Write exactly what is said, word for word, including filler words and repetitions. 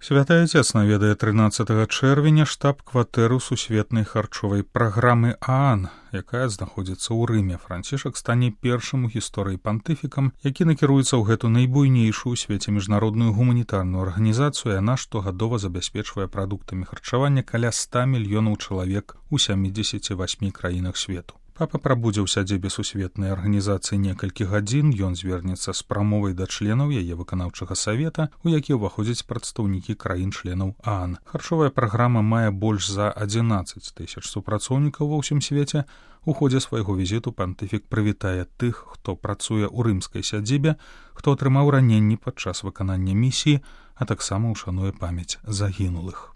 Святы Отец наведае трынаццатага чэрвеня штаб-кватэру сусветнай харчовай праграмы ААН, якая знаходзіцца ў Рыме. Францішак стане першым у гісторыі пантыфікам, які накіруецца ў гэту найбуйнейшую ў свеце міжнародную гуманітарную арганізацыю. Яна штогадова забяспечвае прадуктамі харчавання каля ста мільёнаў чалавек у сямідзесяці васьмі краінах свету. Папа прабудзе ў сядзібе сусветнай арганізацыі некалькі гадзін. Ён звернецца з прамовай да членаў яе выканаўчага савета, у які ўваходзяць прадстаўнікі краін-членаў ААН. Харчовая праграма мае больш за адзінаццаць тысяч супрацоўнікаў ва ўсім свеце. У ходзе свайго візіту пантыфік прывітае тых, хто працуе ў рымскай сядзібе, хто атрымаў раненні падчас выканання місіі, а таксама ўшануе памяць загінулых.